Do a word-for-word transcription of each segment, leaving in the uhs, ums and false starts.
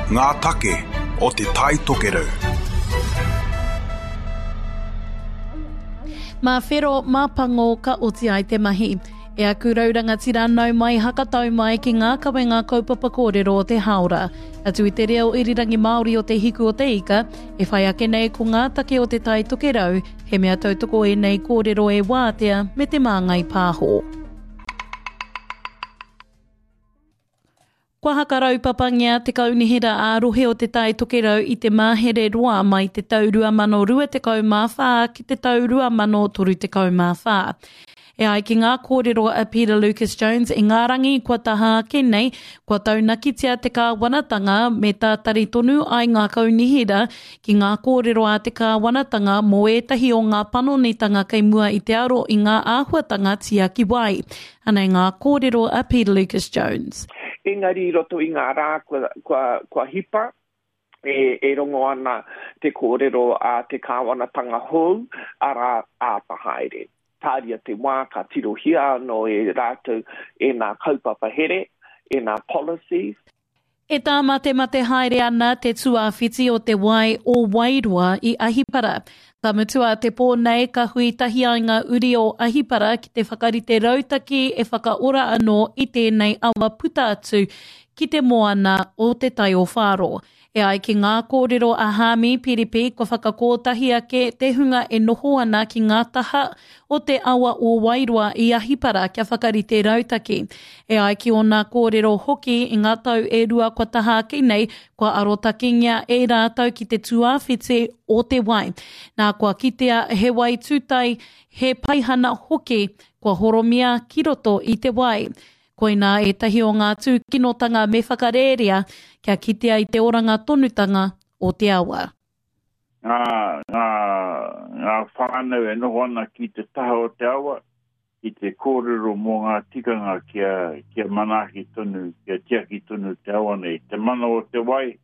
Ngā take o Te Tai Tokerau. Mā whero, mā pango ka oti ai te mahi. E aku rau rangatira nau mai hakatau mai ki ngā kawenga kaupapa kōrero o te hāora. Atu i te reo irirangi Māori o Te Hiku o Te Ika, e whai ake nei ko ngā take o Te Tai Tokerau, he mea tautoko ēnei kōrero e Wātea me Te Māngai Pāho. Kua hakaraupapangia te kaunihera ā-rohe o Te Tai Tokerau i te mahere roa mai te tau rua mano rua tekau mā whā ki te tau rua mano toru tekau mā whā. E ai ki ngā kōrero a Peter Lucas Jones i ngā rangi kua taha ake nei, kua taunakitia te kāwanatanga me tātari tonu ai ngā kaunihera ki ngā kōrero a te kāwanatanga mō ētahi o ngā panonitanga kei mua i te aro i ngā āhuatanga tiaki wai. Anei ngā kōrero a Peter Lucas Jones. Engari i roto i ngā rā kua, kua, kua hipa, e, e rongo ana te kōrero a te kāwanatanga hou, arā, āta haere. Tāria te wā ka tirohia anō e rātou e nā kaupapa here, e nā policies. E tāmatemate haere ana te tuawhiti o te wai o Wairoa i Ahipara. Ka mutu a te pō nei ka hui tahi ai ngā uri o Ahipara ki te whakarite rautaki e whakaora anō i tēnei awa puta atu ki te moana o Te Tai o Whāro. E ai ki ngā kōrero a Hāmi Piripi kua whakakōtahi ake te hunga e noho ana ki ngā taha o te awa o Wairoa i Ahipara kia whakarite rautaki. E ai ki ōna kōrero hoki i ngā tau e rua kua taha ake nei, kua arotakengia e rātou ki te tuawhiti o te wai. Nā kua kitea he wai tūtai, he paihana hoki, kua horomia ki roto i te wai. Koinā ētahi o ngā tūkinotanga me whakarērea kia kitea i te oranga tonutanga o te awa. Ngā, ngā, ngā whānau e noho ana ki te taha o te awa, ki te kōrero mō ngā tikanga kia, kia manaaki tonu, kia tiaki tonu te awa nei. Te mana o te wai,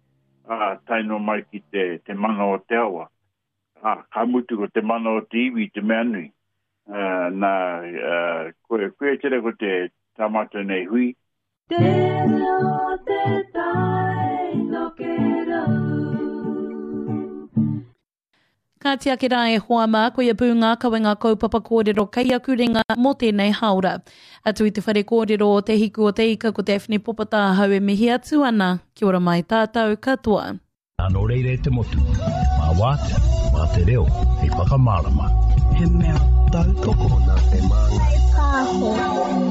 ā, tae noa mai ki te, te mana o te awa. Ā, ka mutu ko te mana o te iwi te mea nui. Uh, nā, uh, koe, koe tera ko te tā mātou nei hui. Te reo te tai tokerau. Ka tiaki rā e hoa mā, koia pū ngā kawenga kaupapa kōrero kei aku ringa mō tēnei hāora. Atu i te whare kōrero o Te Hiku o Te Ika ko Daphne Popata ahau e mihi atu ana. Kia ora mai tātou katoa. Nā, nō reira e te motu, mā Wātea, mā te reo, hei whakamārama. He mea tautoko nā Te Māngai Pāho.